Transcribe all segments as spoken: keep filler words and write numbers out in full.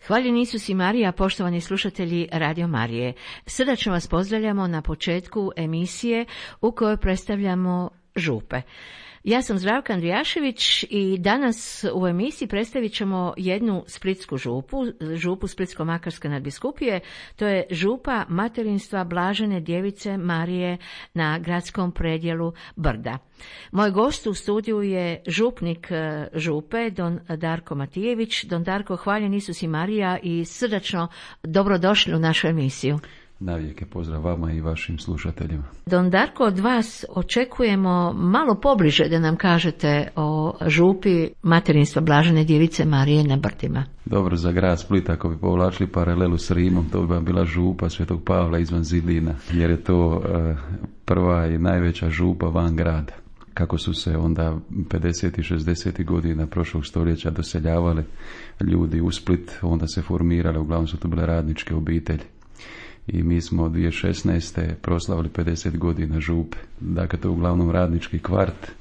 Hvaljen Isus i Marija, poštovani slušatelji Radio Marije. Srdačno vas pozdravljamo na početku emisije u kojoj predstavljamo župe. Ja sam Zdravka Andrijašević i danas u emisiji predstavit ćemo jednu splitsku župu, župu Splitsko-makarske nadbiskupije. To je župa materinstva Blažene djevice Marije na gradskom predjelu Brda. Moj gost u studiju je župnik župe, don Darko Matijević. Don Darko, hvaljen Isus i Marija i srdačno dobrodošli u našu emisiju. Navijek je pozdrav vama i vašim slušateljima. Don Darko, od vas očekujemo malo pobliže da nam kažete o župi materinstva Blažene djevice Marije na Brdima. Dobro, za grad Split, ako bi povlačili paralelu s Rimom, to bi bila župa Svetog Pavla izvan zidina, jer je to uh, prva i najveća župa van grada. Kako su se onda pedesetih i šezdesetih godina prošlog stoljeća doseljavali ljudi u Split, onda se formirale, uglavnom su to bile radničke obitelji. I mi smo dvije tisuće šesnaeste proslavili pedeset godina župe. Dakle, to je uglavnom radnički kvart.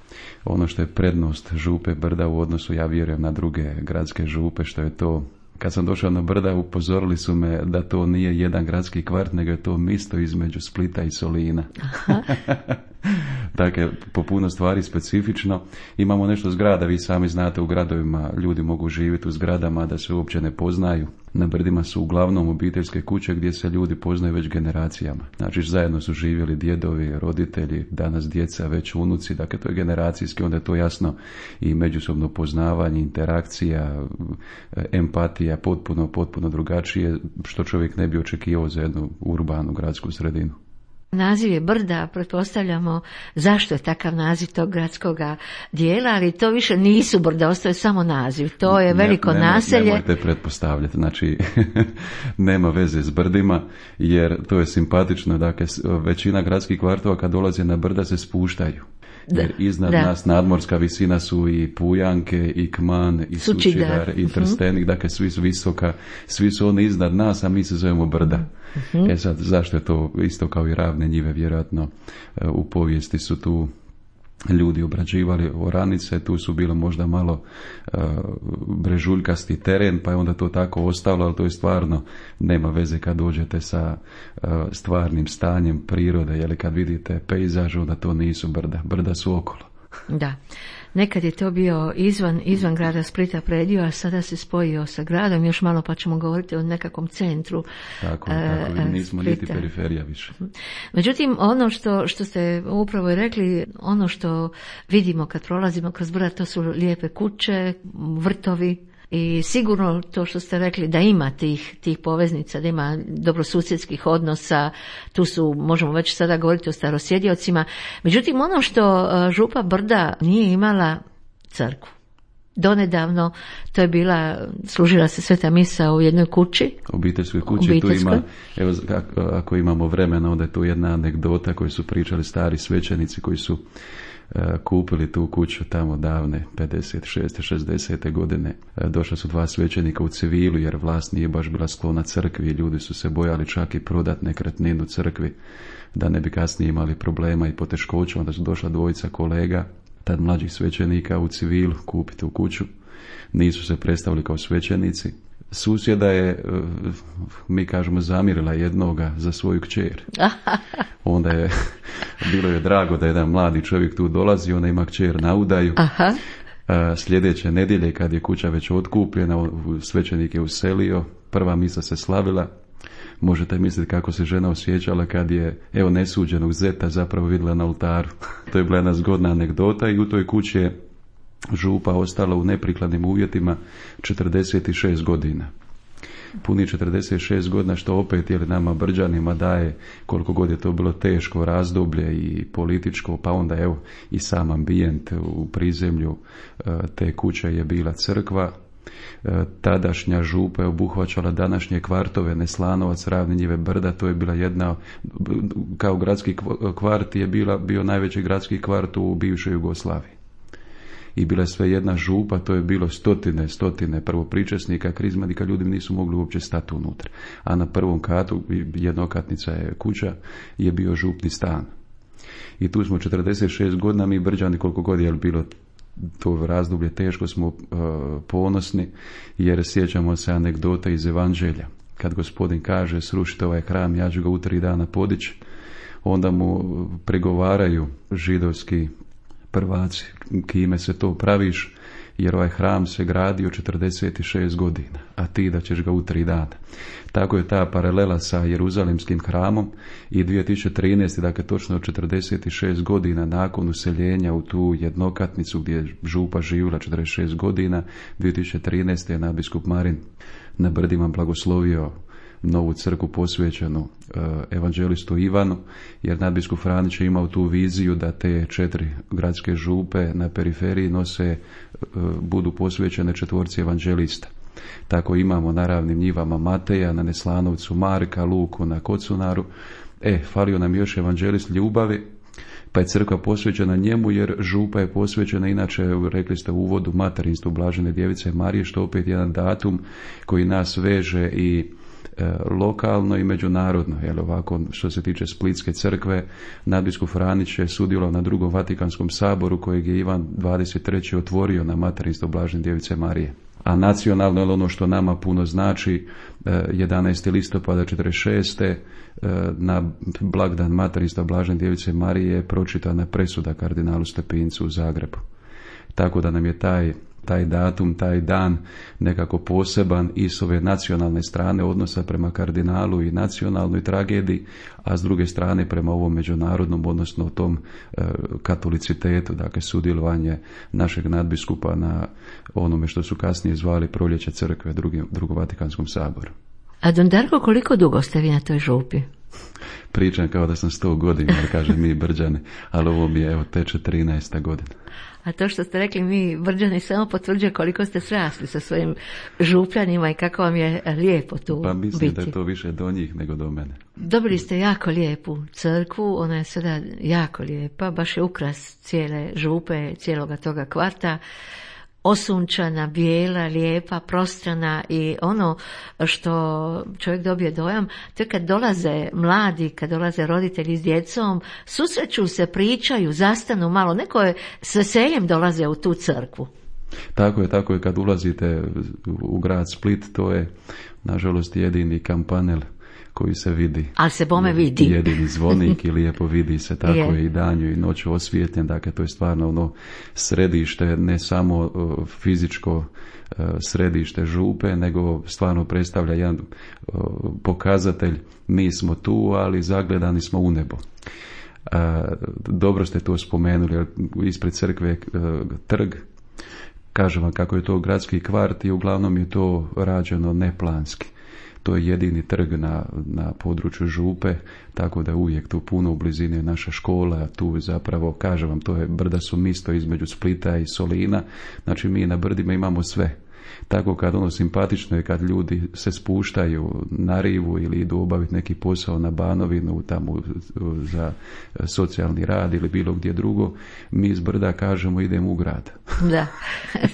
Ono što je prednost župe Brda u odnosu, ja vjerujem, na druge gradske župe, što je to, kad sam došao na Brda, upozorili su me da to nije jedan gradski kvart, nego je to misto između Splita i Solina. Dakle, po puno stvari specifično. Imamo nešto zgrada, vi sami znate, u gradovima ljudi mogu živjeti u zgradama da se uopće ne poznaju. Na Brdima su uglavnom obiteljske kuće gdje se ljudi poznaju već generacijama. Znači, zajedno su živjeli djedovi, roditelji, danas djeca, već unuci. Dakle, to je generacijski, onda je to jasno i međusobno poznavanje, interakcija, empatija, potpuno, potpuno drugačije, što čovjek ne bi očekivao za jednu urbanu gradsku sredinu. Naziv je Brda, pretpostavljamo zašto je takav naziv tog gradskog dijela, ali to više nisu brda, ostaje samo naziv. To je veliko ne, naselje. Nemojte pretpostavljati, znači nema veze s brdima, jer to je simpatično. Dakle, većina gradskih kvartova kad dolaze na brda se spuštaju. Jer iznad da. nas nadmorska visina su i Pujanke, i Kman, i Sučidar, Sučidar i Trstenik, uh-huh. Dakle svi su visoka, svi su oni iznad nas, a mi se zovemo Brda. Uh-huh. E sad, zašto je to isto kao i Ravne njive, vjerojatno u povijesti su tu ljudi obrađivali oranice, tu su bilo možda malo uh, brežuljkasti teren, pa je onda to tako ostalo, ali to je stvarno, nema veze kad dođete sa uh, stvarnim stanjem prirode, jer kad vidite pejzaž, onda to nisu brda, brda su okolo. Da, nekad je to bio izvan, izvan grada Splita predio, a sada se spojio sa gradom, još malo pa ćemo govoriti o nekakvom centru. Tako, tako uh, nismo Splita. Niti periferija više. Međutim, ono što, što ste upravo i rekli, ono što vidimo kad prolazimo kroz Brda, to su lijepe kuće, vrtovi. I sigurno to što ste rekli da ima tih, tih poveznica, da ima dobrosusjedskih odnosa, tu su, možemo već sada govoriti o starosjediocima. Međutim, ono što župa Brda nije imala crkvu. Donedavno to je bila, služila se sveta misa u jednoj kući. Obiteljskoj kući. Obiteljskoj. Tu ima, evo, ako imamo vremena, onda je tu jedna anegdota koju su pričali stari svećenici koji su kupili tu kuću tamo davne pedeset šeste šezdesete godine. Došla su dva svećenika u civilu jer vlast nije baš bila sklona crkvi i ljudi su se bojali čak i prodat nekretninu crkvi da ne bi kasnije imali problema i poteškoća. Onda su došla dvojica kolega, tad mlađih svećenika u civilu, kupiti u kuću. Nisu se predstavili kao svećenici. Susjeda je, mi kažemo, zamirila jednoga za svoju kćer. Onda je, bilo je drago da jedan mladi čovjek tu dolazi, ona ima kćer na udaju. Aha. Sljedeće nedjelje kad je kuća već otkupljena, svećenik je uselio, prva misa se slavila. Možete misliti kako se žena osjećala kad je, evo, nesuđenog zeta zapravo vidjela na oltaru. To je bila jedna zgodna anegdota i u toj kući je župa ostala u neprikladnim uvjetima četrdeset šest godina. Puni četrdeset šest godina, što opet je nama Brđanima daje koliko god je to bilo teško razdoblje i političko, pa onda evo i sam ambijent u prizemlju te kuće je bila crkva. Tadašnja župa je obuhvaćala današnje kvartove Neslanovac, Ravne njive, Brda. To je bila jedna, kao gradski kvart je bila, bio najveći gradski kvart u bivšoj Jugoslaviji. I bila je sve jedna župa, to je bilo stotine, stotine prvopričesnika, krizmatika, ljudi nisu mogli uopće stati unutra. A na prvom katu, jednokatnica je kuća, je bio župni stan. I tu smo četrdeset šest godina, mi Brđani, koliko god je bilo to razdoblje teško smo uh, ponosni, jer sjećamo se anegdote iz Evanđelja. Kad Gospodin kaže srušite ovaj hram, ja ću ga u tri dana podići, onda mu pregovaraju židovski prvaci, kime se to praviš, jer ovaj hram se gradio četrdeset šest godina, a ti da ćeš ga u tri dana. Tako je ta paralela sa Jeruzalemskim hramom i dvije tisuće trinaeste. dakle točno četrdeset šest godina nakon useljenja u tu jednokatnicu gdje je župa živjela četrdeset šest godina, dvije tisuće trinaeste. je nadbiskup Marin na Brdima blagoslovio novu crkvu posvećenu uh, evanđelistu Ivanu, jer nadbiskup Franić je imao tu viziju da te četiri gradske župe na periferiji nose, uh, budu posvećene četvorci evanđelista. Tako imamo na Ravnim njivama Mateja, na Neslanovcu Marka, Luku na Kocunaru. E, falio nam još evanđelist Ljubavi, pa je crkva posvećena njemu, jer župa je posvećena, inače rekli ste u uvodu, materinstvu Blažene djevice Marije, što opet jedan datum koji nas veže i e, lokalno i međunarodno. Jel, ovako, što se tiče Splitske crkve, nadbiskup Franić je sudjelovao na drugom Vatikanskom saboru kojeg je Ivan dvadeset treći otvorio na materinstvo Blažene djevice Marije. A nacionalno je ono što nama puno znači, jedanaesti listopada četrdeset šeste. na blagdan materinstva Blažene djevice Marije je pročitana presuda kardinalu Stepincu u Zagrebu. Tako da nam je taj, taj datum, taj dan nekako poseban i s ove nacionalne strane odnosa prema kardinalu i nacionalnoj tragediji, a s druge strane prema ovom međunarodnom, odnosno tom e, katolicitetu, dakle sudjelovanje našeg nadbiskupa na onome što su kasnije zvali Proljeće crkve, drugim, drugom Vatikanskom saboru. A don Darko, koliko dugo ste vi na toj župi? Pričam kao da sam sto godina, ali kažem mi Brđani, ali ovo mi je, evo, teče trinaesta godina. A to što ste rekli mi Brđani samo potvrđuje koliko ste srasli sa svojim župljanima i kako vam je lijepo tu Pa mislim biti. Da je to više do njih nego do mene. Dobili ste jako lijepu crkvu, ona je sada jako lijepa, baš je ukras cijele župe, cijeloga toga kvarta. Osunčana, bijela, lijepa, prostrana i ono što čovjek dobije dojam, to je kad dolaze mladi, kad dolaze roditelji s djecom, susreću se, pričaju, zastanu malo, neko je s veseljem dolaze u tu crkvu. Tako je, tako je, kad ulazite u grad Split, to je nažalost jedini kampanel koji se vidi. Ali se bome vidi. Jedini zvonik i lijepo vidi se, tako je, je i danju i noću osvijetljen, dakle to je stvarno ono središte, ne samo uh, fizičko uh, središte župe, nego stvarno predstavlja jedan uh, pokazatelj, mi smo tu, ali zagledani smo u nebo. Uh, dobro ste to spomenuli, ispred crkve uh, trg, kažem vam kako je to gradski kvart i uglavnom je to rađeno neplanski. To je jedini trg na, na području župe, tako da uvijek tu puno u blizini je naša škola, tu zapravo, kažem vam, to je brda su misto između Splita i Solina, znači mi na brdima imamo sve. Tako kad ono simpatično je kad ljudi se spuštaju na rivu ili idu obaviti neki posao na Banovinu tamo za socijalni rad ili bilo gdje drugo, mi iz brda kažemo idemo u grad. Da,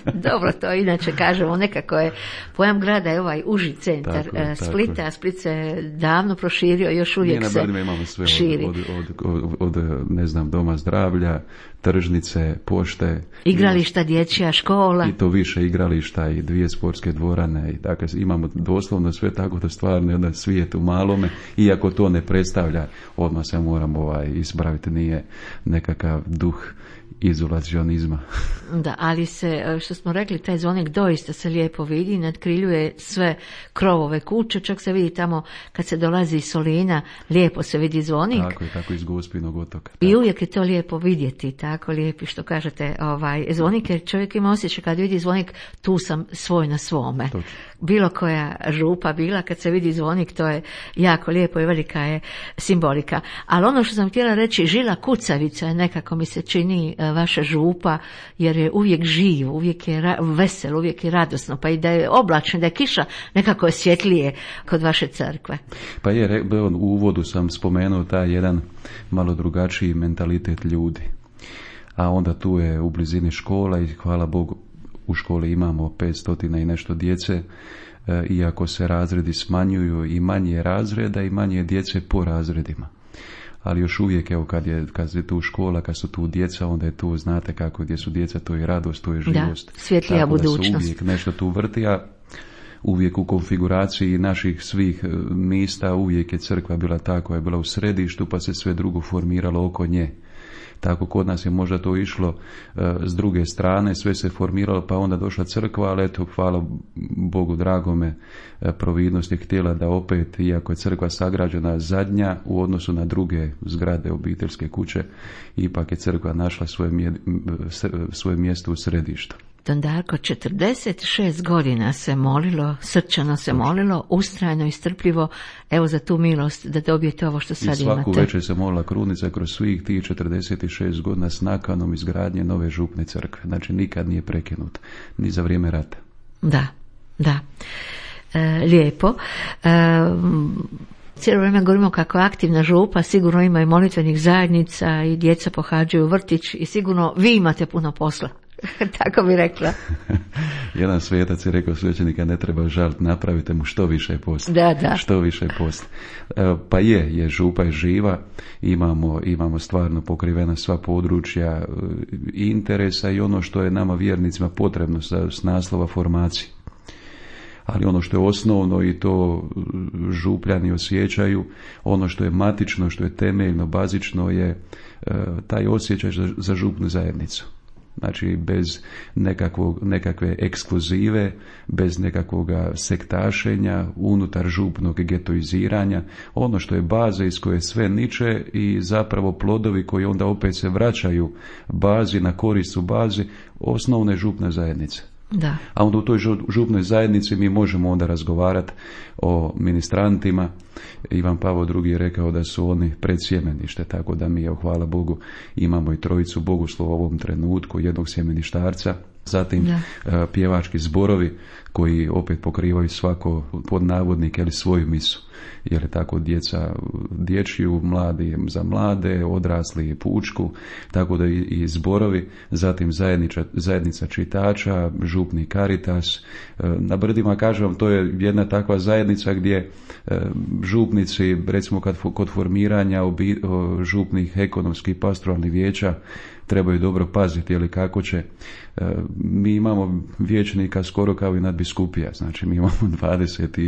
dobro, to inače kažemo, nekako je pojam grada je ovaj uži centar tako je, Splita, tako a Split se davno proširio, još uvijek se imamo sve širi. Od, od, od, od, od, ne znam, doma zdravlja, tržnice, pošte. Igrališta, dječja škola. I to više igrališta i dvije sportske dvorane. I dakle, imamo doslovno sve, tako da stvarno jedan svijet u malome, iako to ne predstavlja, odmah se moram ovaj, ispraviti, nije nekakav duh izolacionizma. Da, ali se, što smo rekli, taj zvonik doista se lijepo vidi, nadkriljuje sve krovove kuće, čak se vidi tamo kad se dolazi iz Solina, lijepo se vidi zvonik. Tako je, tako iz Gospinog otoka. Tako. I uvijek je to lijepo vidjeti, tako lijepi što kažete, ovaj zvonik, jer čovjek ima osjećaj kad vidi zvonik, tu sam svoj na svome. Točno. Bilo koja župa bila, kad se vidi zvonik, to je jako lijepo i velika je simbolika. Ali ono što sam htjela reći, žila kucavica je nekako mi se čini vaša župa, jer je uvijek živ, uvijek je ra- vesel, uvijek je radosno, pa i da je oblačno, da je kiša, nekako je svjetlije kod vaše crkve. Pa je, u uvodu sam spomenuo taj jedan malo drugačiji mentalitet ljudi. A onda tu je u blizini škola i hvala Bogu u školi imamo petsto i nešto djece, e, iako se razredi smanjuju i manje razreda i manje djece po razredima. ali još uvijek, evo, kad je, kad je tu škola, kad su tu djeca, onda je tu, znate kako, gdje su djeca, to je radost, to je živost. Da, svjetlija budućnost. Tako da se uvijek nešto tu vrti, a uvijek u konfiguraciji naših svih mista uvijek je crkva bila ta koja je bila u središtu, pa se sve drugo formiralo oko nje. Tako kod nas je možda to išlo uh, s druge strane, sve se formiralo, pa onda došla crkva, ali eto, hvala Bogu dragome, uh, providnost je htjela da opet, iako je crkva sagrađena zadnja u odnosu na druge zgrade, obiteljske kuće, ipak je crkva našla svoje, mje, svoje mjesto u središtu. Don Darko, četrdeset šest godina se molilo, srčano se molilo, ustrajno i strpljivo, evo za tu milost da dobijete ovo što sad imate. I svaku imate. Večer se molila krunica kroz svih tih četrdeset šest godina s nakanom izgradnje nove župne crkve. Znači nikad nije prekinut, ni za vrijeme rata. Da, da. E, lijepo. E, cijelo vrijeme govorimo kako je aktivna župa, sigurno ima i molitvenih zajednica i djeca pohađaju vrtić i sigurno vi imate puno posla. Tako bi rekla. Jedan svetac je rekao, svećenika ne treba žalt, napravite mu što više posla. Da, da. Što više posla. Pa je, je, župa je živa, imamo, imamo stvarno pokrivena sva područja interesa i ono što je nama vjernicima potrebno s naslova formacije. Ali ono što je osnovno i to župljani osjećaju, ono što je matično, što je temeljno, bazično je taj osjećaj za župnu zajednicu. Znači bez nekakvog, nekakve ekskluzive, bez nekakvog sektašenja, unutar župnog getoiziranja, ono što je baza iz koje sve niče i zapravo plodovi koji onda opet se vraćaju bazi, na korist u bazi, osnovne župne zajednice. Da. A onda u toj župnoj zajednici mi možemo onda razgovarati o ministrantima. Ivan Pavao drugi je rekao da su oni predsjemenište, tako da mi, evo, hvala Bogu, imamo i trojicu bogoslova u ovom trenutku, jednog sjemeništarca, zatim da. Pjevački zborovi koji opet pokrivaju svako pod navodnik ili svoju misu. Jer je tako djeca dječju, mladi za mlade, odrasli pučku, tako da i, i zborovi, zatim zajednica, zajednica čitača, župni Caritas. Na Brdima, kažem vam, to je jedna takva zajednica gdje župnici, recimo kad, kod formiranja obi, župnih ekonomskih pastoralnih vijeća, trebaju dobro paziti, ili kako će. Mi imamo vijećnika skoro kao i nadbiskupija, znači mi imamo dvadeset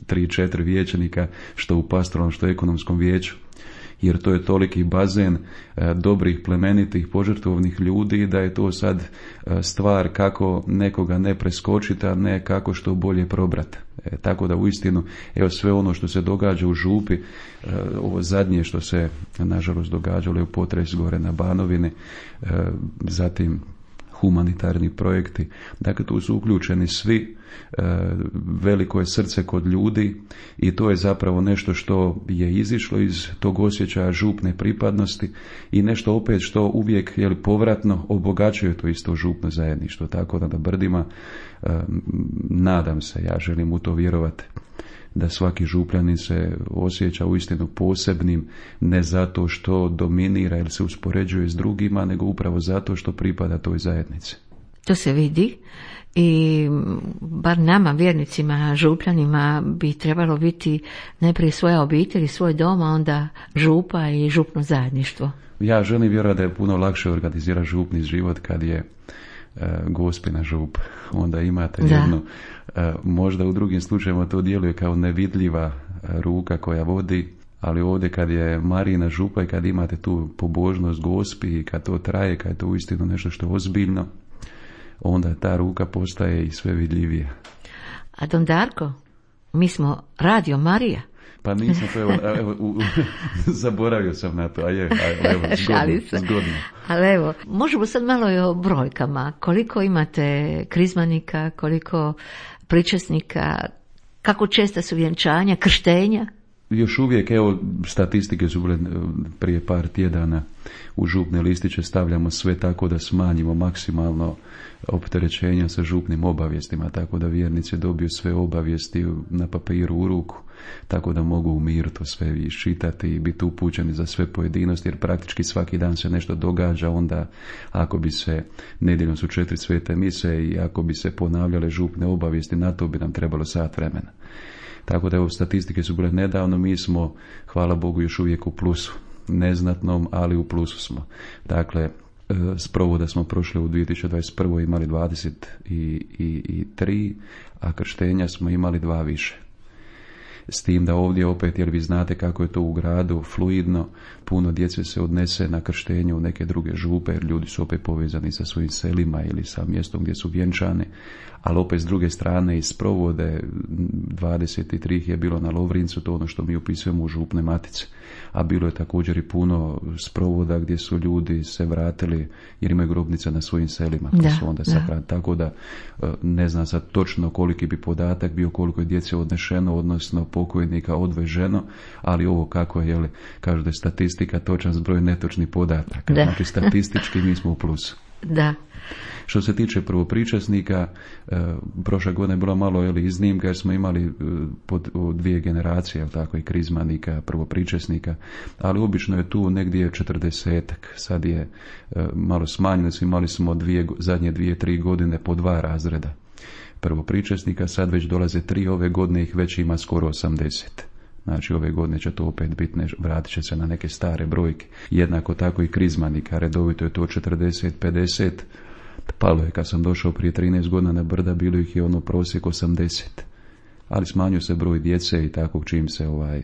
tri četiri vijećnika, što u pastoralnom, što u ekonomskom vijeću, jer to je toliki bazen dobrih, plemenitih, požrtvovnih ljudi, da je to sad stvar kako nekoga ne preskočiti, a ne kako što bolje probrati. E, tako da uistinu, evo, sve ono što se događa u župi, e, ovo zadnje što se nažalost događalo je u potres gore na Banovini, e, zatim humanitarni projekti, dakle tu su uključeni svi, e, veliko je srce kod ljudi i to je zapravo nešto što je izišlo iz tog osjećaja župne pripadnosti i nešto opet što uvijek, jel, povratno obogaćuje to isto župno zajedništvo, tako da na Brdima, e, nadam se, ja želim u to vjerovati, da svaki župljanin se osjeća uistinu posebnim, ne zato što dominira ili se uspoređuje s drugima, nego upravo zato što pripada toj zajednici. To se vidi i bar nama, vjernicima, župljanima, bi trebalo biti najprije svoja obitelj, svoj dom, a onda župa i župno zajedništvo. Ja želim vjerovati da je puno lakše organizirati župni život kad je Gospina žup. Onda imate da. jednu, možda u drugim slučajevima to djeluje kao nevidljiva ruka koja vodi, ali ovdje kad je Marina župa i kad imate tu pobožnost Gospi i kad to traje, kad je to uistinu nešto što je ozbiljno, onda ta ruka postaje i sve vidljivija. A Don Darko, mi smo Radio Marija. Pa nisam to, evo, evo u, u, zaboravio sam na to, a je, a evo, zgodno, zgodno. Ali evo, možemo sad malo i o brojkama. Koliko imate krizmanika, koliko pričesnika, kako česta su vjenčanja, krštenja? Još uvijek, evo, statistike su bile prije par tjedana, u župne listiće stavljamo sve tako da smanjimo maksimalno opterećenja sa župnim obavijestima, tako da vjernici dobiju sve obavijesti na papiru u ruku, tako da mogu u miru to sve iščitati i biti upućeni za sve pojedinosti, jer praktički svaki dan se nešto događa. Onda ako bi se, nedjeljom su četiri svete mise i ako bi se ponavljale župne obavijesti, na to bi nam trebalo sat vremena. Tako da evo, statistike su bile nedavno, mi smo, hvala Bogu, još uvijek u plusu. neznatnom, ali u plusu smo. Dakle, sprovoda smo prošli u dvije tisuće dvadeset prve imali dvadeset tri, a krštenja smo imali dva više. S tim da ovdje opet, jer vi znate kako je to u gradu fluidno, puno djece se odnese na krštenje u neke druge župe, jer ljudi su opet povezani sa svojim selima ili sa mjestom gdje su vjenčane, ali opet s druge strane iz sprovode dvadeset tri je bilo na Lovrincu, to ono što mi upisujemo u župne matice, a bilo je također i puno sprovoda gdje su ljudi se vratili jer imaju grobnice na svojim selima, da, su onda da. tako da ne znam sad točno koliki bi podatak bio, koliko je djece odnešeno, odnosno pokojnika odveženo, ali ovo kako je, jeli, kažu da je statistika točan zbroj netočnih podataka, da. Znači statistički mi smo u plusu. Da. Što se tiče prvopričasnika, e, prošle godine je bilo malo jeli, iznimka jer smo imali e, pod o, dvije generacije, jel tako, i krizmanika, prvopričasnika, ali obično je tu negdje četrdesetak, sad je e, malo smanjeno, imali smo dvije, zadnje dvije, tri godine po dva razreda prvopričasnika, sad već dolaze tri, ove godine ih već ima skoro osamdeset. Znači ove godine će to opet biti, vratit će se na neke stare brojke. Jednako tako i krizmanika, redovito je to četrdeset pedeset. Palo je kad sam došao prije trinaest godina na Brda, bilo ih je ono prosjek osamdeset. Ali smanjio se broj djece i tako čim se ovaj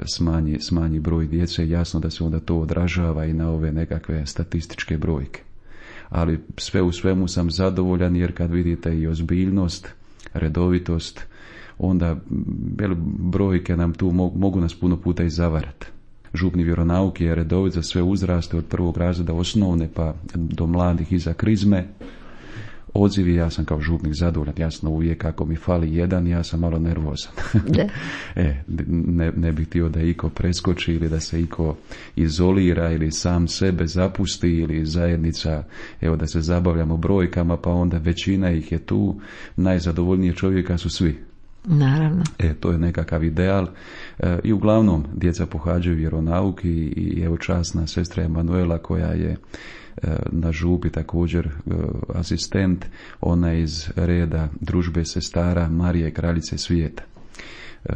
smanji, smanji broj djece, jasno da se onda to odražava i na ove nekakve statističke brojke. Ali sve u svemu sam zadovoljan jer kad vidite i ozbiljnost, redovitost, onda brojke nam tu mogu, mogu nas puno puta i zavarati. Župni vjeronauk je redovit za sve uzraste od prvog razreda osnovne pa do mladih iza krizme. Odzivi, ja sam kao župnik zadovoljan, jasno uvijek ako mi fali jedan, ja sam malo nervozan. e, ne, ne bih htio da iko preskoči ili da se iko izolira ili sam sebe zapusti ili zajednica, evo da se zabavljamo brojkama pa onda većina ih je tu, najzadovoljnije čovjeka su svi. Naravno. E, to je nekakav ideal e, i uglavnom djeca pohađaju vjeronauk i, i evo časna sestra Emanuela koja je e, na župi također e, asistent, ona iz reda družbe sestara Marije kraljice svijeta. E,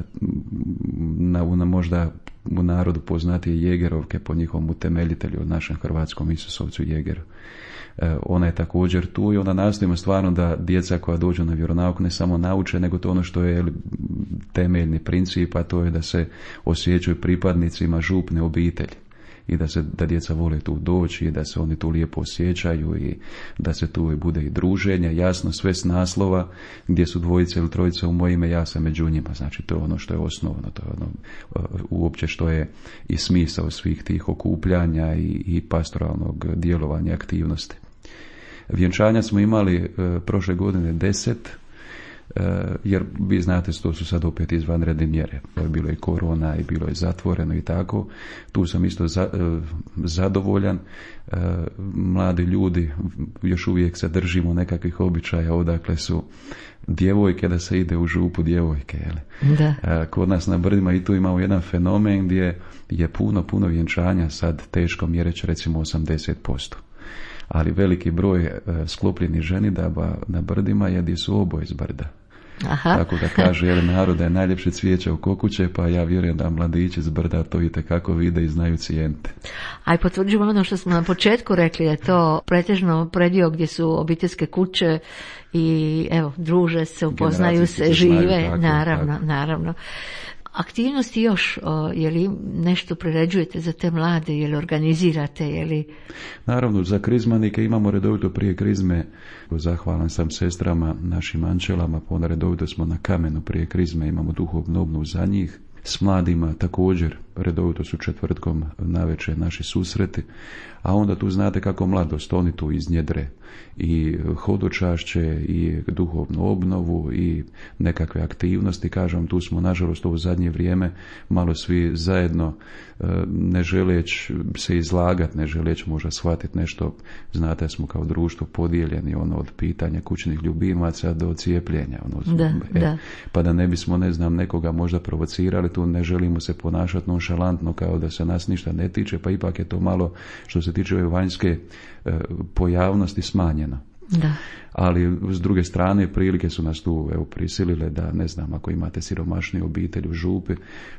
na, na možda u narodu poznatije Jegerovke po njihovom utemeljitelju, našem hrvatskom Isusovcu Jegeru. Ona je također tu i onda nastojimo stvarno da djeca koja dođu na vjeronauk ne samo nauče, nego to ono što je temeljni princip, a to je da se osjećaju pripadnicima župne obitelji i da se da djeca vole tu doći i da se oni tu lijepo osjećaju i da se tu bude i druženje, jasno sve s naslova gdje su dvojice ili trojice u moje ime, ja sam među njima, znači to je ono što je osnovno, to je ono uopće što je i smisao svih tih okupljanja i, i pastoralnog djelovanja aktivnosti. Vjenčanja smo imali e, prošle godine deset, e, jer vi znate to su sad opet izvanredne mjere. Bilo je korona i bilo je zatvoreno i tako. Tu sam isto za, e, zadovoljan. E, mladi ljudi još uvijek se držimo nekakvih običaja odakle su djevojke, da se ide u župu djevojke. Jeli? Da. E, kod nas na Brdima i tu imamo jedan fenomen gdje je puno, puno vjenčanja sad teško mjereći recimo osamdeset posto. Ali veliki broj e, sklopljenih ženidaba na Brdima je gdje su oboje iz Brda. Aha. Tako da kaže jedan narod da je najljepše cvijeće u kokuće, pa ja vjerujem da mladići iz Brda to itekako vide i znaju cijeniti. Aj potvrđujemo ono što smo na početku rekli, je to pretežno predio gdje su obiteljske kuće i evo druže se, upoznaju se, žive, znaju, tako, naravno, tako. naravno. Aktivnosti još, o, je li nešto priređujete za te mlade, je li organizirate, je li? Naravno, za krizmanike imamo redovito prije krizme, zahvalan sam sestrama, našim ančelama, pa onda redovito smo na kamenu prije krizme, imamo duhovnu obnovu za njih. S mladima također, redovito su četvrtkom navečer naši susreti, a onda tu znate kako mladost, oni tu iznjedre i hodočašće i duhovnu obnovu i nekakve aktivnosti, kažem, tu smo nažalost u zadnje vrijeme malo svi zajedno, ne želeć se izlagati, ne želeć možda shvatiti nešto, znate smo kao društvo podijeljeni ono od pitanja kućnih ljubimaca do cijepljenja, ono, da, e, da. pa da ne bismo ne znam nekoga možda provocirali, tu ne želimo se ponašati nonšalantno kao da se nas ništa ne tiče, pa ipak je to malo što se tiče ove vanjske e, pojavnosti smanjeno. Da. Ali s druge strane prilike su nas tu evo prisilile da, ne znam, ako imate siromašniju obitelj u župi,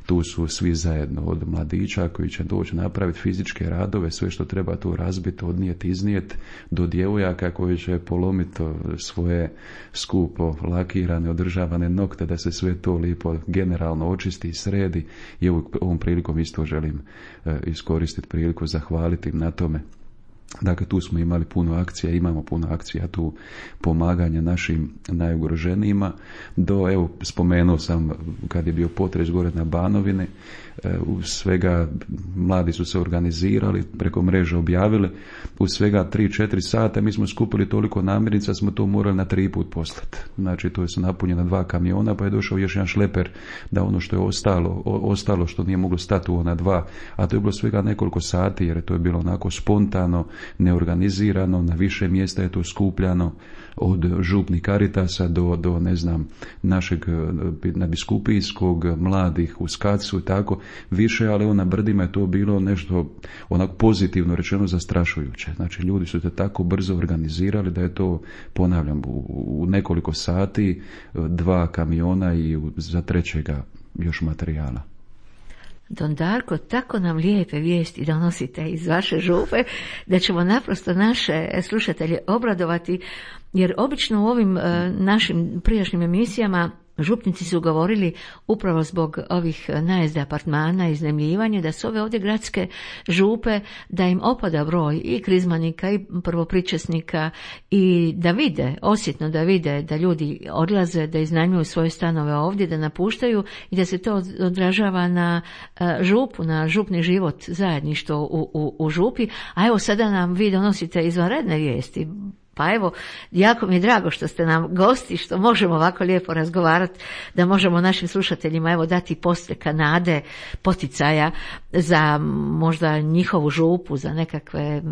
tu su svi zajedno, od mladića koji će doći napraviti fizičke radove, sve što treba tu razbiti, odnijeti, iznijeti, do djevojaka koji će polomiti svoje skupo lakirane, održavane nokte, da se sve to lijepo generalno očisti i sredi. I ovom prilikom isto želim e, iskoristiti priliku, zahvaliti im na tome. Dakle, tu smo imali puno akcija, imamo puno akcija tu pomaganja našim najugroženijima. Do, evo, spomenuo sam kad je bio potres gore na Banovini, u svega mladi su se organizirali, preko mreže objavili, u svega tri četiri sata mi smo skupili toliko namirnica, smo to morali na tri put poslati. Znači, to je su napunjena dva kamiona, pa je došao još jedan šleper da ono što je ostalo, ostalo što nije moglo stati u ona dva, a to je bilo svega nekoliko sati, jer to je bilo onako spontano, neorganizirano, na više mjesta je to skupljano, od župnih Karitasa do, do ne znam, našeg nadbiskupijskog, mladih u Skacu i tako više, ali na brdima je to bilo nešto onako pozitivno rečeno zastrašujuće. Znači, ljudi su se tako brzo organizirali da je to, ponavljam, u, u nekoliko sati dva kamiona i u, za trećega još materijala. Don Darko, tako nam lijepe vijesti donosite iz vaše župe da ćemo naprosto naše slušatelje obradovati, jer obično u ovim uh, našim prijašnjim emisijama župnici su govorili upravo zbog ovih najezda apartmana i iznajmljivanja, da su ove ovdje gradske župe, da im opada broj i krizmanika i prvopričesnika i da vide, osjetno da vide da ljudi odlaze, da iznajmljuju svoje stanove ovdje, da napuštaju i da se to odražava na župu, na župni život, zajedništvo u, u, u župi. A evo sada nam vi donosite izvanredne vijesti. Pa evo, jako mi je drago što ste nam gosti, što možemo ovako lijepo razgovarati, da možemo našim slušateljima evo dati postreka nade, poticaja za možda njihovu župu, za nekakve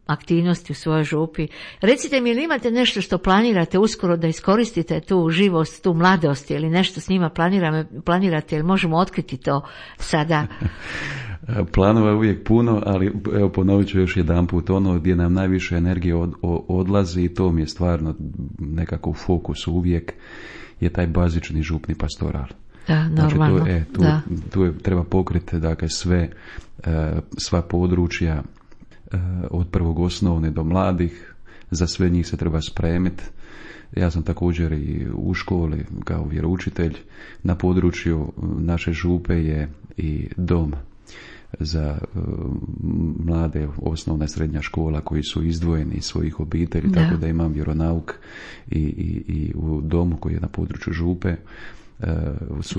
aktivnosti u svojoj župi. Recite mi, ili imate nešto što planirate uskoro da iskoristite tu živost, tu mladost, ili nešto s njima planirate, ili možemo otkriti to sada? Planova je uvijek puno, ali evo ponovit ću još jedan put, ono gdje nam najviše energije od, odlazi, i to mi je stvarno nekako u fokusu uvijek, je taj bazični župni pastoral. Da, normalno. Znači, tu, e, tu, da. tu je, treba pokriti dakle, sve, sva područja od prvog osnovne do mladih, za sve njih se treba spremiti. Ja sam također i u školi kao vjeroučitelj, na području naše župe je i dom za uh, mlade, osnovna i srednja škola koji su izdvojeni iz svojih obitelji, da. Tako da imam vjeronauk i, i, i u domu koji je na području župe. Uh,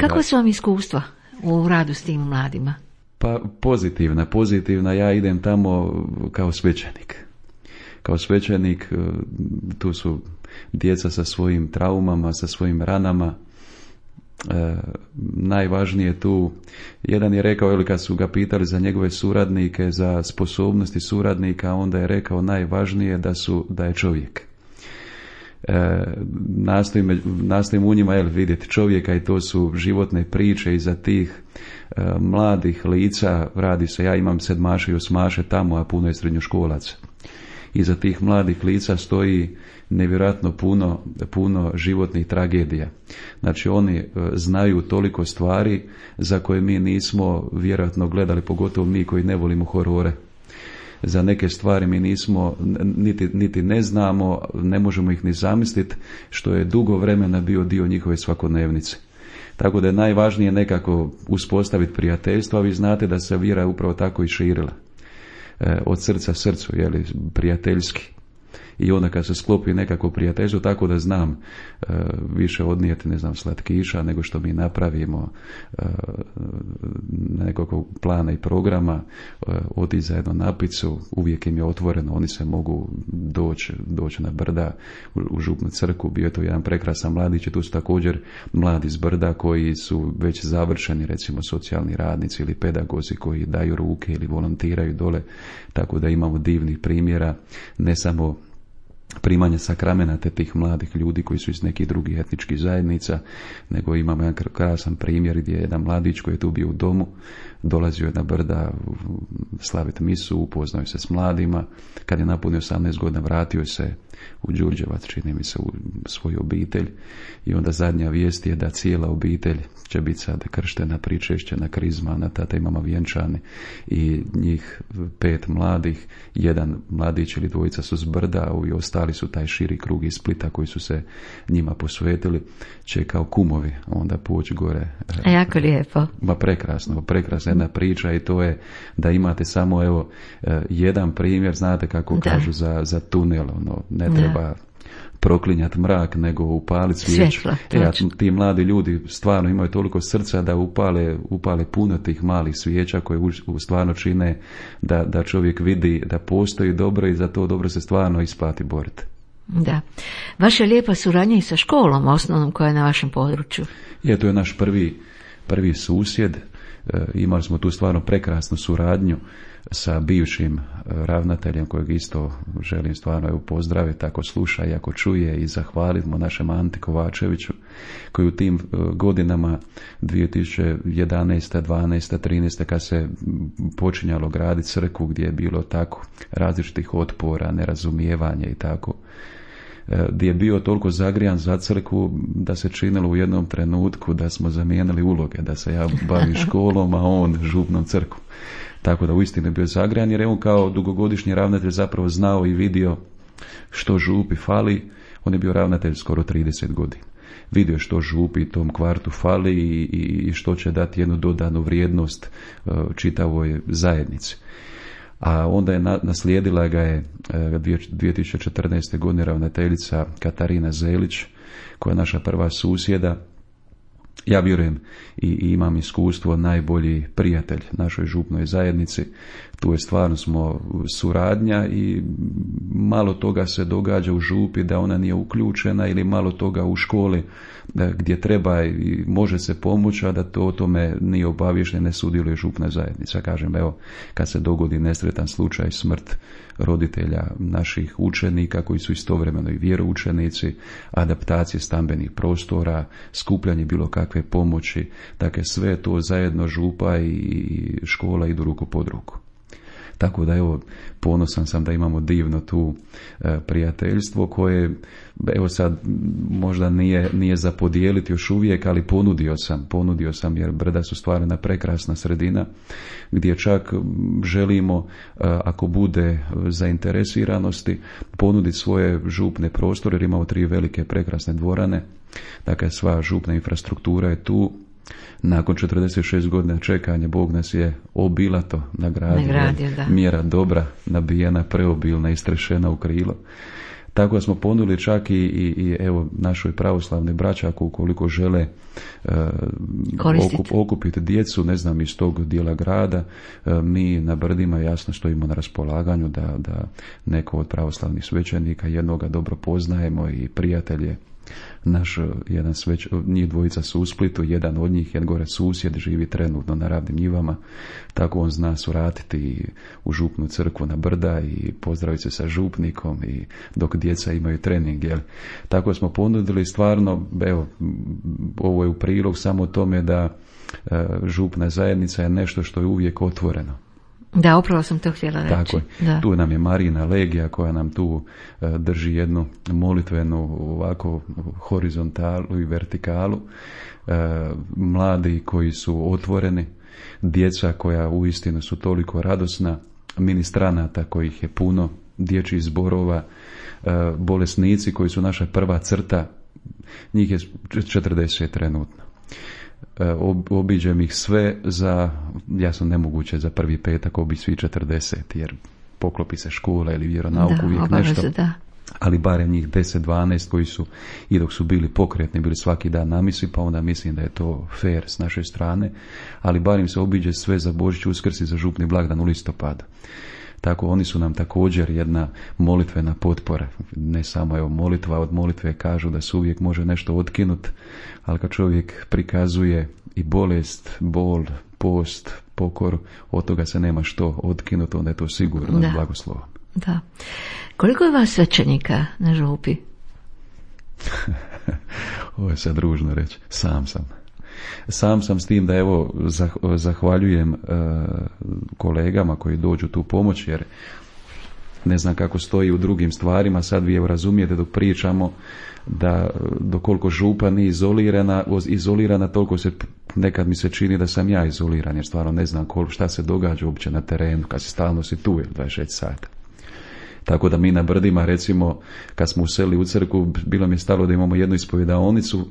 Kako su vam iskustva u radu s tim mladima? Pa pozitivna, pozitivna. Ja idem tamo kao svećenik. Kao svećenik, uh, tu su djeca sa svojim traumama, sa svojim ranama. E, najvažnije tu, jedan je rekao, ili kad su ga pitali za njegove suradnike, za sposobnosti suradnika, onda je rekao najvažnije da su da je čovjek. E, nastojim, nastojim u njima jel, vidjeti čovjeka, i to su životne priče iza tih e, mladih lica. Radi se, ja imam sedmaše i osmaše tamo, a puno je srednjoškolaca. Iza tih mladih lica stoji nevjerojatno puno, puno životnih tragedija. Znači, oni e, znaju toliko stvari za koje mi nismo vjerojatno gledali, pogotovo mi koji ne volimo horore. Za neke stvari mi nismo, niti, niti ne znamo, ne možemo ih ni zamisliti, što je dugo vremena bio dio njihove svakodnevnice. Tako da je najvažnije nekako uspostaviti prijateljstvo, a vi znate da se vjera upravo tako i širila. E, od srca srcu, jeli, prijateljski. I onda kad se sklopi nekako prijateljstvo, tako da znam e, više odnijeti, ne znam, slatkiša nego što mi napravimo e, nekog plana i programa, e, odi zajedno na picu, uvijek im je otvoreno, oni se mogu doći, doći na brda u, u župnu crkvu. Bio je to jedan prekrasan mladić, tu su također mladi s brda koji su već završeni, recimo socijalni radnici ili pedagozi koji daju ruke ili volontiraju dole, tako da imamo divnih primjera, ne samo primanje sakramenata tih mladih ljudi koji su iz nekih drugih etničkih zajednica, nego imamo jedan krasan primjer gdje je jedan mladić koji je tu bio u domu, dolazio je na brda slaviti misu, upoznao se s mladima, kad je napunio osamnaest godina vratio se u Đurđevac, čini mi se, u svoju obitelj. I onda zadnja vijest je da cijela obitelj će biti sad krštena, pričešćena, krizmana, tata i mama vjenčani i njih pet mladih, jedan mladić ili dvojica su s Brda i ostali su taj širi krug iz Splita koji su se njima posvetili, će kao kumovi onda poći gore. A jako lijepo. Ma prekrasno, prekrasna jedna priča i to je da imate samo evo jedan primjer, znate kako da. Kažu za, za tunel, ono, ne treba da. Proklinjati mrak, nego upaliti svijeću. E, a ti mladi ljudi stvarno imaju toliko srca da upale, upale puno tih malih svijeća koje u, u stvarno čine da, da čovjek vidi da postoji dobro i za to dobro se stvarno isplati boriti. Da. Vaša lijepa suradnja i sa školom osnovnom koja je na vašem području. Je, to je naš prvi, prvi susjed. E, imali smo tu stvarno prekrasnu suradnju sa bivšim ravnateljem kojeg isto želim stvarno evo pozdraviti ako sluša i ako čuje i zahvaliti mu našem Anti Kovačeviću koji u tim godinama dvije tisuće jedanaeste, dvanaeste, trinaeste kad se počinjalo graditi crkvu gdje je bilo tako različitih otpora, nerazumijevanja i tako, gdje je bio toliko zagrijan za crkvu da se činilo u jednom trenutku da smo zamijenili uloge, da se ja bavim školom, a on župnom crkvom. Tako da uistinu je bio zagrijan jer je on kao dugogodišnji ravnatelj zapravo znao i vidio što župi fali. On je bio ravnatelj skoro trideset godina. Vidio što župi tom kvartu fali i, i što će dati jednu dodanu vrijednost čitavoj zajednici. A onda je naslijedila ga je dvije tisuće četrnaeste. godine ravnateljica Katarina Zelić, koja je naša prva susjeda. Ja vjerujem i, i imam iskustvo najbolji prijatelj našoj župnoj zajednici. Tu je stvarno smo suradnja i malo toga se događa u župi da ona nije uključena ili malo toga u školi gdje treba i može se pomoći, a da to o tome nije obaviješten, ne sudjeluje župna zajednica. Kažem, evo, kad se dogodi nesretan slučaj, smrt roditelja naših učenika koji su istovremeno i vjeroučenici, adaptacije stambenih prostora, skupljanje bilo kakve pomoći, dakle sve to zajedno župa i škola idu ruku pod ruku. Tako da evo, ponosan sam da imamo divno tu e, prijateljstvo koje, evo sad možda nije, nije za podijeliti još uvijek, ali ponudio sam, ponudio sam jer Brda su stvarno jedna prekrasna sredina gdje čak želimo, e, ako bude zainteresiranosti, ponuditi svoje župne prostore jer imamo tri velike prekrasne dvorane, dakle sva župna infrastruktura je tu. Nakon četrdeset šest godina čekanja Bog nas je obilato nagradio, nagradio mjera dobra, nabijena, preobilna, istrešena u krilo. Tako da smo ponudili čak i, i, i evo našoj pravoslavnoj braći ako ukoliko žele uh, okup, okupiti djecu, ne znam, iz tog dijela grada, uh, mi na Brdima jasno stojimo na raspolaganju da, da neko od pravoslavnih svećenika jednoga dobro poznajemo i prijatelje. Naš jedan sveć, njih dvojica su u Splitu, jedan od njih, jedan gore susjed, živi trenutno na Ravnim njivama, tako on zna suratiti u župnu crkvu na Brda i pozdraviti se sa župnikom i dok djeca imaju trening, jel? Tako smo ponudili stvarno, evo, ovo je u prilog samo tome da e, župna zajednica je nešto što je uvijek otvoreno. Da, upravo sam to htjela reći. Tako je. Da. Tu nam je Marina Legija koja nam tu uh, drži jednu molitvenu ovako horizontalu i vertikalu. Uh, mladi koji su otvoreni, djeca koja uistinu su toliko radosna, ministranata kojih je puno, dječjih zborova, uh, bolesnici koji su naša prva crta, njih je četrdeset trenutno. Obiđem ih sve za, jasno nemoguće za prvi petak obići svi četrdeset jer poklopi se škola ili vjeronauk da, uvijek nešto, da. Ali barem njih deset dvanaest koji su i dok su bili pokretni bili svaki dan na misi, pa onda mislim da je to fair s naše strane, ali barem se obiđe sve za Božić, Uskrs i za župni blagdan u listopadu. Tako oni su nam također jedna molitvena potpora. Ne samo evo molitva, od molitve kažu da se uvijek može nešto otkinuti, ali kad čovjek prikazuje i bolest, bol, post, pokoru, od toga se nema što otkinuti, onda je to sigurno da. Blagoslovom. Da. Koliko je vas svećenika na župi? Ovo je sad ružno reći. Sam sam. Sam sam s tim da evo zahvaljujem uh, kolegama koji dođu tu pomoć jer Ne znam kako stoji u drugim stvarima, sad vi evo razumijete dok pričamo da dokoliko župa nije izolirana, izolirana toliko se nekad mi se čini da sam ja izoliran, jer stvarno ne znam koliko, šta se događa uopće na terenu kad si stalno si tu dvadeset šest sata. Tako da mi na Brdima, recimo, kad smo useli u crkvu, bilo mi je stalo da imamo jednu ispovjedaonicu.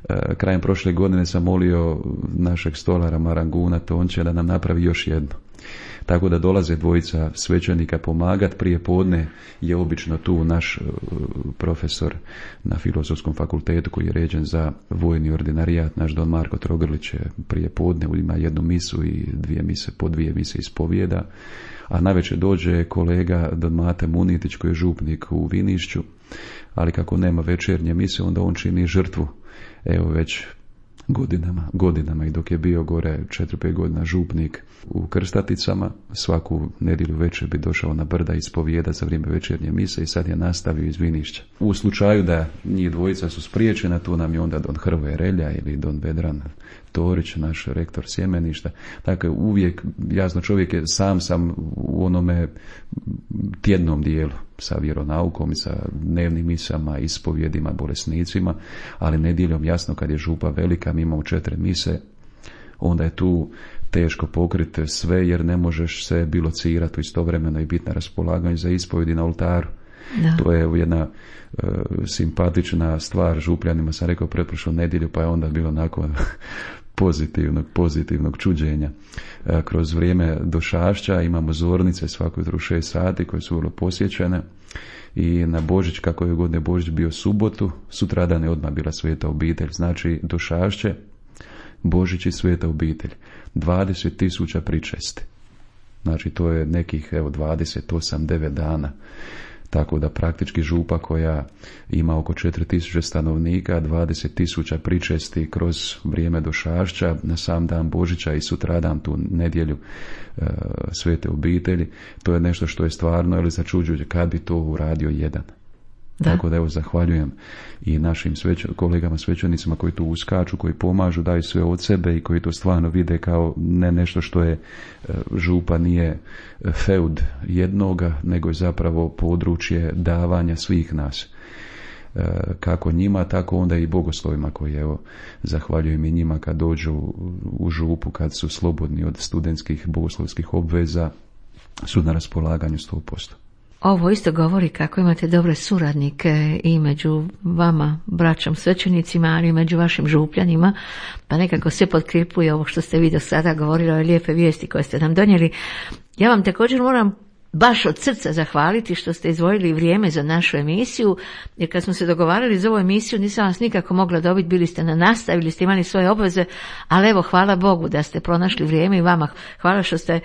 E, krajem prošle godine sam molio našeg stolara Maranguna Tonče da nam napravi još jednu. Tako da dolaze dvojica svećenika pomagati. Prije podne je obično tu naš profesor na Filozofskom fakultetu koji je ređen za vojni ordinarijat, naš don Marko Trogrlić je prije podne, ima jednu misu i dvije mise, po dvije mise ispovijeda. A navečer dođe kolega don Mate Munitić koji je župnik u Vinišću, ali kako nema večernje mise, onda on čini žrtvu. Evo već godinama, godinama i dok je bio gore četiri pet godina župnik u Krstaticama, svaku nedjelju večer bi došao na Brda ispovijeda za vrijeme večernje mise i sad je nastavio iz Vinišća. U slučaju da njih dvojica su spriječena, tu nam je onda don Hrvoje Relja ili don Vedran Torić, naš rektor sjemeništa. Dakle, uvijek, jasno, čovjek je sam sam u onome tjednom dijelu sa vjeronaukom i sa dnevnim misama, ispovjedima, bolesnicima, ali nedjeljom, jasno, kad je župa velika, mi imamo četiri mise, onda je tu teško pokriti sve, jer ne možeš se bilocirati istovremeno i biti na raspolaganju za ispovjedi na oltaru. Da. To je jedna e, simpatična stvar župljanima, sam rekao pretprošlu nedjelju, pa je onda bilo nakon pozitivnog, pozitivnog čuđenja. E, kroz vrijeme došašća imamo zornice svako jutro u šest sati koje su vrlo posjećene i na Božić, kako je godine Božić bio subotu, sutradan je odmah bila sveta obitelj, znači došašće, Božić i sveta obitelj. dvadeset tisuća pričesti. Znači to je nekih evo dvadeset osam devet dana. Tako da praktički župa koja ima oko četiri tisuće stanovnika, dvadeset tisuća pričesti kroz vrijeme došašća, na sam dan Božića i sutradan tu nedjelju e, svete obitelji, to je nešto što je stvarno ili začuđujuće, kad bi to uradio jedan. Da. Tako da evo zahvaljujem i našim sveć, kolegama svećenicima koji tu uskaču, koji pomažu, daju sve od sebe i koji to stvarno vide kao ne nešto što je župa, nije feud jednoga, nego je zapravo područje davanja svih nas. Kako njima, tako onda i bogoslovima koji, evo, zahvaljujem i njima kad dođu u župu, kad su slobodni od studentskih bogoslovskih obveza, su na raspolaganju sto posto. Ovo isto govori kako imate dobre suradnike i među vama, braćom svećenicima, ali i među vašim župljanima, pa nekako se potkripuje ovo što ste vi do sada govorili, ove lijepe vijesti koje ste nam donijeli. Ja vam također moram baš od srca zahvaliti što ste izdvojili vrijeme za našu emisiju, jer kad smo se dogovarali za ovu emisiju nisam vas nikako mogla dobiti, bili ste na nastavili, ste imali svoje obveze, ali evo hvala Bogu da ste pronašli vrijeme i vama hvala što ste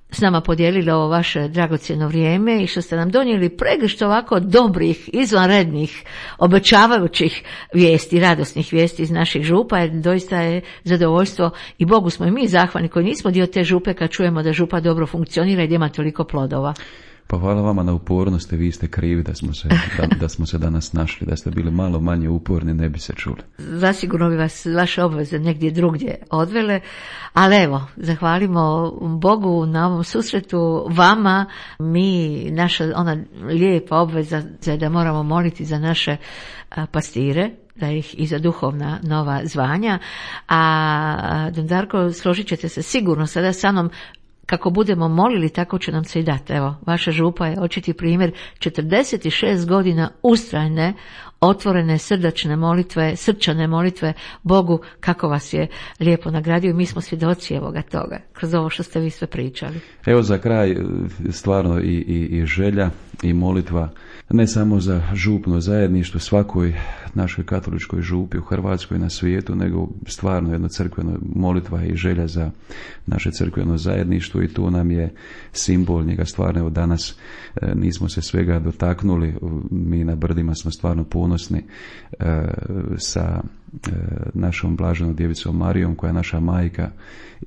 s nama podijelili ovo vaše dragocjeno vrijeme i što ste nam donijeli pregršt ovako dobrih, izvanrednih, obećavajućih vijesti, radosnih vijesti iz naših župa, jer doista je zadovoljstvo i Bogu smo i mi zahvalni koji nismo dio te župe kad čujemo da župa dobro funkcionira i da ima toliko plodova. Pa hvala vama na upornosti, vi ste krivi da smo se, da, da smo se danas našli, da ste bili malo manje uporni, ne bi se čuli. Zasigurno bi vas vaše obveze negdje drugdje odvele, ali evo, zahvalimo Bogu na ovom susretu, vama, mi, naša ona lijepa obveza da moramo moliti za naše pastire, da ih i za duhovna nova zvanja, a don Darko, složit ćete se sigurno sada sa mnom, kako budemo molili, tako će nam se i dati. Evo, vaša župa je očiti primjer četrdeset šest godina ustrajne, otvorene, srdačne molitve, srčane molitve Bogu, kako vas je lijepo nagradio i mi smo svjedoci evoga toga, kroz ovo što ste vi sve pričali. Evo za kraj, stvarno i, i, i želja i molitva, ne samo za župno zajedništvo, svakoj našoj katoličkoj župi u Hrvatskoj, na svijetu, nego stvarno jedna crkvena molitva i želja za naše crkveno zajedništvo i tu nam je simbol njega stvarno. Evo danas e, nismo se svega dotaknuli, mi na Brdima smo stvarno ponosni e, sa e, našom blaženom djevicom Marijom koja je naša majka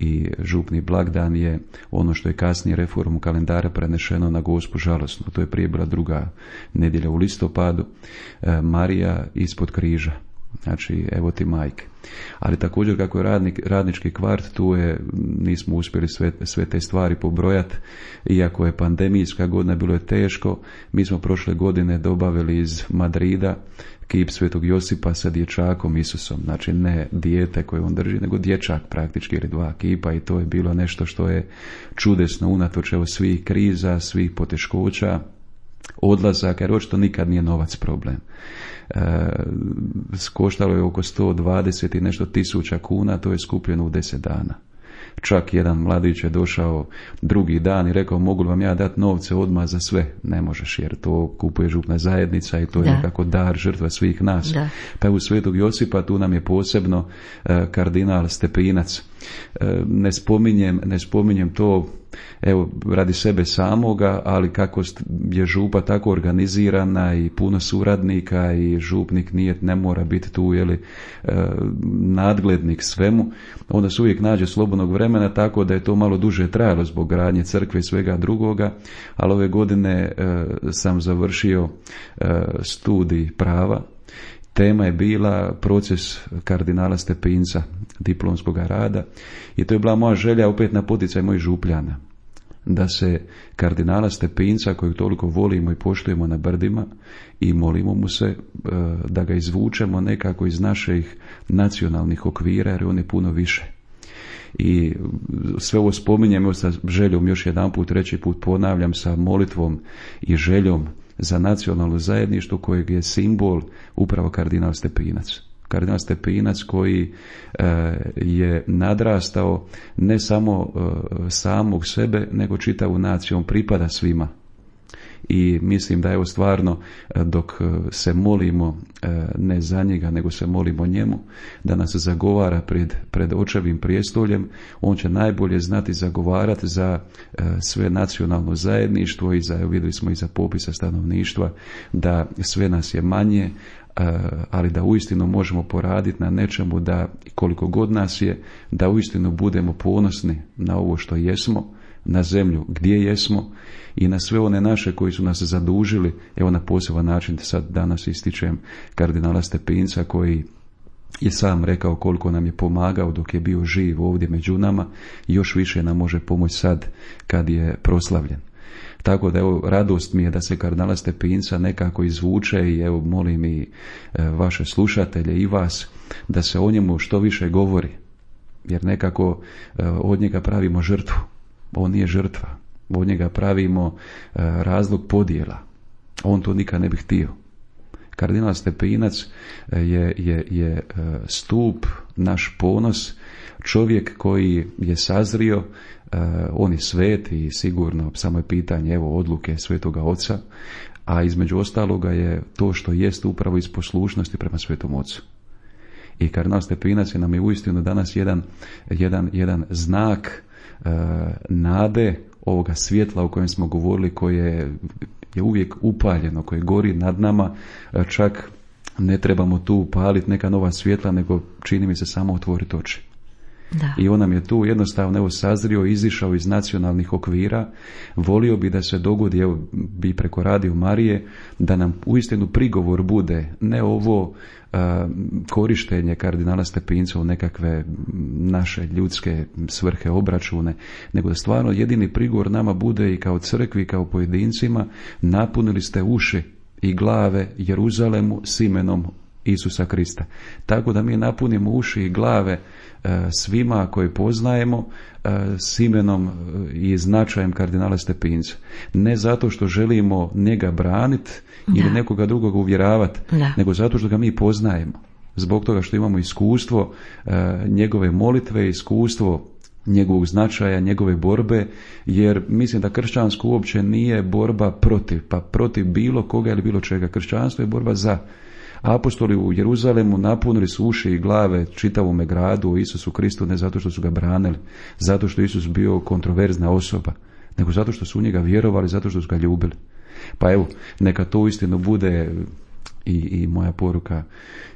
i župni blagdan je ono što je kasnije reformom kalendara prenešeno na Gospu žalosnu. To je prije bila druga nedjelja u listopadu. E, Marija ispod križa. Znači, evo ti majke. Ali također kako je radnik, radnički kvart, tu je, nismo uspjeli sve, sve te stvari pobrojati, iako je pandemijska godina, bilo je teško. Mi smo prošle godine dobavili iz Madrida kip Svetog Josipa sa dječakom Isusom, znači ne dijete koje on drži, nego dječak praktički, ili dva kipa, i to je bilo nešto što je čudesno unatoč evo svih kriza, svih poteškoća, odlazaka, jer očito nikad nije novac problem. E, koštalo je oko sto dvadeset i nešto tisuća kuna, to je skupljeno u deset dana. Čak jedan mladić je došao drugi dan i rekao, mogu li vam ja dati novce odmah za sve? Ne možeš, jer to kupuje župna zajednica i to je da. nekako dar, žrtva svih nas. Da. Pa u Svetog Josipa tu nam je posebno uh, kardinal Stepinac. Uh, ne spominjem, ne spominjem to evo radi sebe samoga, ali kako je župa tako organizirana i puno suradnika i župnik nije, ne mora biti tu jeli, uh, nadglednik svemu, onda se uvijek nađe slobodnog vremena, tako da je to malo duže trajalo zbog gradnje crkve i svega drugoga, ali ove godine uh, sam završio uh, studij prava. Tema je bila proces kardinala Stepinca, diplomskog rada, i to je bila moja želja opet na poticaj mojih župljana, da se kardinala Stepinca, kojeg toliko volimo i poštujemo na brdima i molimo mu se, da ga izvučemo nekako iz naših nacionalnih okvira, jer on je puno više. I sve ovo spominjem sa željom, još jedan put, treći put ponavljam, sa molitvom i željom za nacionalno zajedništvo kojeg je simbol upravo kardinal Stepinac. Kardinal Stepinac koji e, je nadrastao ne samo e, samog sebe, nego čitavu naciju, on pripada svima. I mislim da je ovo stvarno, dok se molimo ne za njega, nego se molimo njemu, da nas zagovara pred, pred očevim prijestoljem, on će najbolje znati zagovarati za sve nacionalno zajedništvo i za, vidjeli smo i za popisa stanovništva, da sve nas je manje, ali da uistinu možemo poraditi na nečemu, da koliko god nas je, da uistinu budemo ponosni na ovo što jesmo, na zemlju gdje jesmo i na sve one naše koji su nas zadužili. Evo na poseban način sad danas ističem kardinala Stepinca koji je sam rekao koliko nam je pomagao dok je bio živ ovdje među nama, još više nam može pomoći sad kad je proslavljen. Tako da evo, radost mi je da se kardinala Stepinca nekako izvuče i evo molim i e, vaše slušatelje i vas da se o njemu što više govori, jer nekako e, od njega pravimo žrtvu. On nije žrtva, od njega pravimo e, razlog podjela. On to nikad ne bi htio. Kardinal Stepinac je, je, je stup, naš ponos, čovjek koji je sazrio, e, on je svet i sigurno samo je pitanje evo odluke Svetoga Oca, a između ostaloga je to što jest upravo iz poslušnosti prema Svetom Ocu. I kardinal Stepinac je nam je uistinu danas jedan, jedan, jedan znak e, nade, ovoga svjetla o kojem smo govorili, koje je uvijek upaljeno, koje gori nad nama, čak ne trebamo tu upaliti neka nova svjetla, nego čini mi se samo otvoriti oči. Da. I on nam je tu jednostavno evo sazrio, izišao iz nacionalnih okvira. Volio bi da se dogodi, evo bi preko Radio Marije, da nam uistinu prigovor bude ne ovo a, korištenje kardinala Stepinca u nekakve naše ljudske svrhe, obračune, nego da stvarno jedini prigovor nama bude i kao crkvi i kao pojedincima: napunili ste uši i glave Jeruzalemu s imenom Isusa Krista. Tako da mi napunimo uši i glave e, svima koji poznajemo e, s imenom i značajem kardinala Stepinca. Ne zato što želimo njega braniti ili nekoga drugog uvjeravati, nego zato što ga mi poznajemo. Zbog toga što imamo iskustvo e, njegove molitve, iskustvo njegovog značaja, njegove borbe, jer mislim da kršćansko uopće nije borba protiv, pa protiv bilo koga ili bilo čega. Kršćanstvo je borba za. Apostoli u Jeruzalemu napunili su uši i glave čitavome gradu o Isusu Kristu, ne zato što su ga branili, zato što Isus bio kontroverzna osoba, nego zato što su u njega vjerovali, zato što su ga ljubili. Pa evo, neka to uistinu bude i, i moja poruka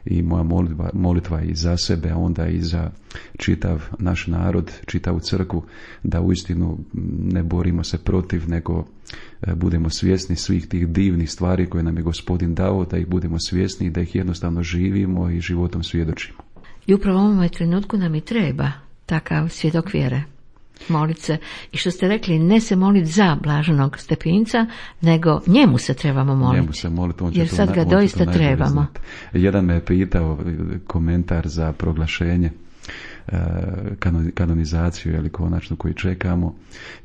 i moja molitva, molitva i za sebe, a onda i za čitav naš narod, čitavu crkvu, da uistinu ne borimo se protiv, nego budemo svjesni svih tih divnih stvari koje nam je Gospodin dao, da ih budemo svjesni i da ih jednostavno živimo i životom svjedočimo. I upravo u ovome trenutku nam i treba takav svjedok vjere. Molit se. I što ste rekli, ne se moliti za blaženog Stepinca, nego njemu se trebamo moliti. Njemu se moliti, on će jer to, sad ga on doista to trebamo. Znati. Jedan me je pitao komentar za proglašenje, kanonizaciju ili konačno koji čekamo,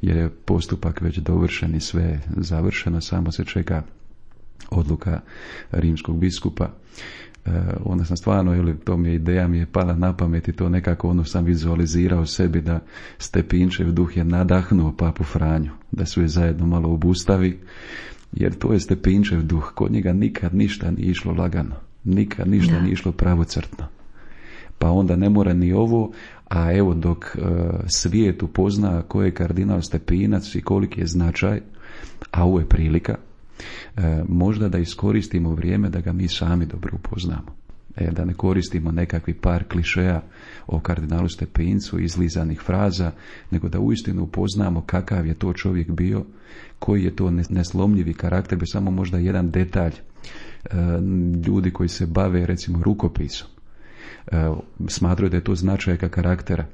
jer je postupak već dovršen i sve završeno, samo se čeka odluka rimskog biskupa. Uh, onda sam stvarno, ili to mi je ideja, mi je pala na pamet i to nekako ono sam vizualizirao sebi da Stepinčev duh je nadahnuo papu Franju, da su je zajedno malo obustavi, jer to je Stepinčev duh, kod njega nikad ništa nije išlo lagano, nikad ništa da. nije išlo pravocrtno. Pa onda ne mora ni ovo, a evo dok uh, svijet upozna ko je kardinal Stepinac i koliki je značaj, a ovo je prilika, E, možda da iskoristimo vrijeme da ga mi sami dobro upoznamo. E, da ne koristimo nekakvi par klišeja o kardinalu Stepincu, izlizanih fraza, nego da uistinu upoznamo kakav je to čovjek bio, koji je to neslomljivi karakter, bi samo možda jedan detalj. E, ljudi koji se bave recimo rukopisom, e, smatraju da je to značajka karaktera.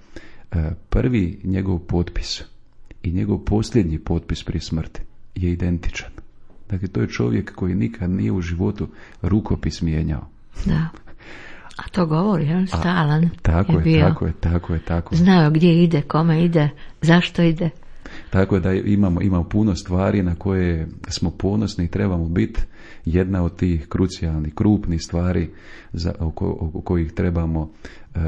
E, prvi njegov potpis i njegov posljednji potpis prije smrti je identičan. Dakle, to je čovjek koji nikad nije u životu rukopis mijenjao. Da. A to govori, je stalan. A, tako je, je, bio. tako je, tako je, tako je. Znao gdje ide, kome ide, zašto ide. Tako je da imamo, imamo puno stvari na koje smo ponosni i trebamo biti. Jedna od tih krucijalnih, krupnih stvari za, oko, oko kojih trebamo,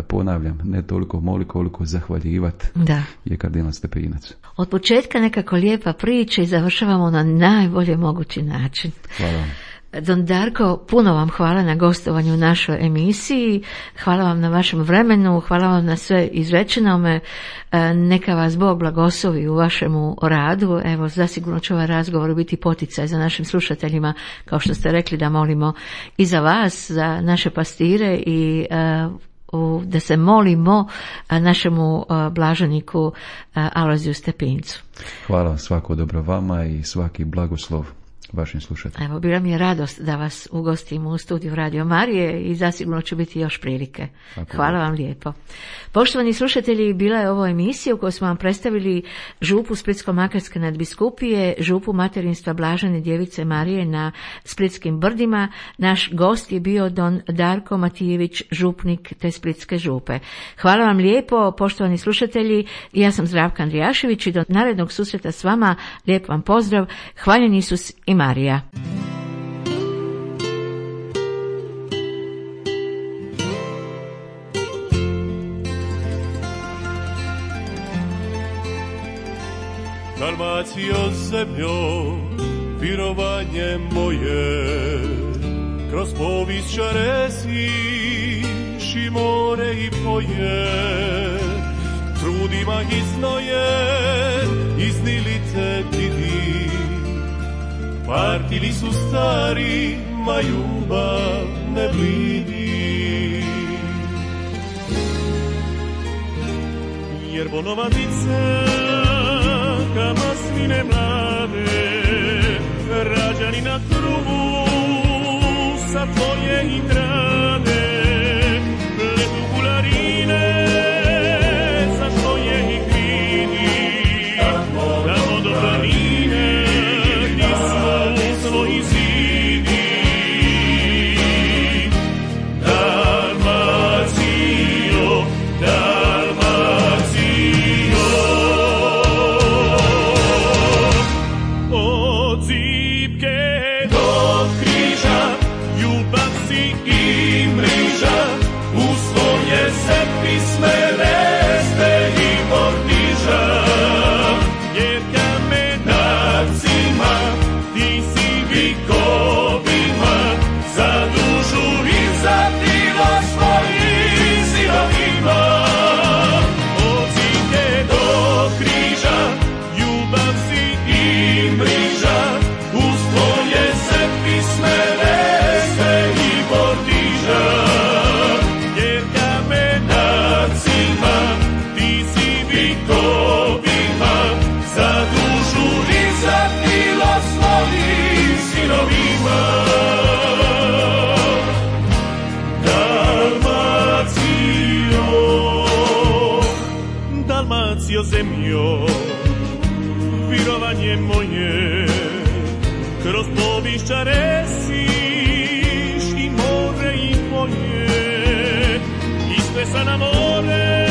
ponavljam, ne toliko moliti koliko zahvaljivati, da. je kardinal Stepinac. Od početka nekako lijepa priča i završavamo na najbolje mogući način. Hvala vam. Don Darko, puno vam hvala na gostovanju u našoj emisiji, hvala vam na vašem vremenu, hvala vam na sve izrečenome, neka vas Bog blagoslovi u vašemu radu. Evo, zasigurno će ovaj razgovor biti poticaj za našim slušateljima, kao što ste rekli, da molimo i za vas, za naše pastire i da se molimo našemu blaženiku Alojziju Stepincu. Hvala, svako dobro vama i svaki blagoslov vašim slušateljima. Evo, bila mi je radost da vas ugostim u studiju Radio Marije i zasigurno će biti još prilike. Tako Hvala je. vam lijepo. Poštovani slušatelji, bila je ovo emisija u kojoj smo vam predstavili župu Splitsko-makarske nadbiskupije, župu materinstva Blažene djevice Marije na Splitskim brdima. Naš gost je bio don Darko Matijević, župnik te Splitske župe. Hvala vam lijepo, poštovani slušatelji. Ja sam Zdravka Andrijašević i do narednog susreta s vama lijep vam pozdrav. Hvaljen Isus i Marija. Dalmacijo zemljo, virovanje moje, kroz povijest šaresiš i more i poje, trudima iznoje, iznili te vidi, partili su stari, ma ljubav ne blidi. Jer bonovatice ka masline mlade, rađani na krugu sa tvoje i trade, pletu bularine sa tvoje i kridi, tamo do planine gdje su svoji zidi. Dalmacijo, Dalmacijo, od zipke do križa, ljubav si djevojke moje, kroz povišća resiš i more i moje, isplesa na more.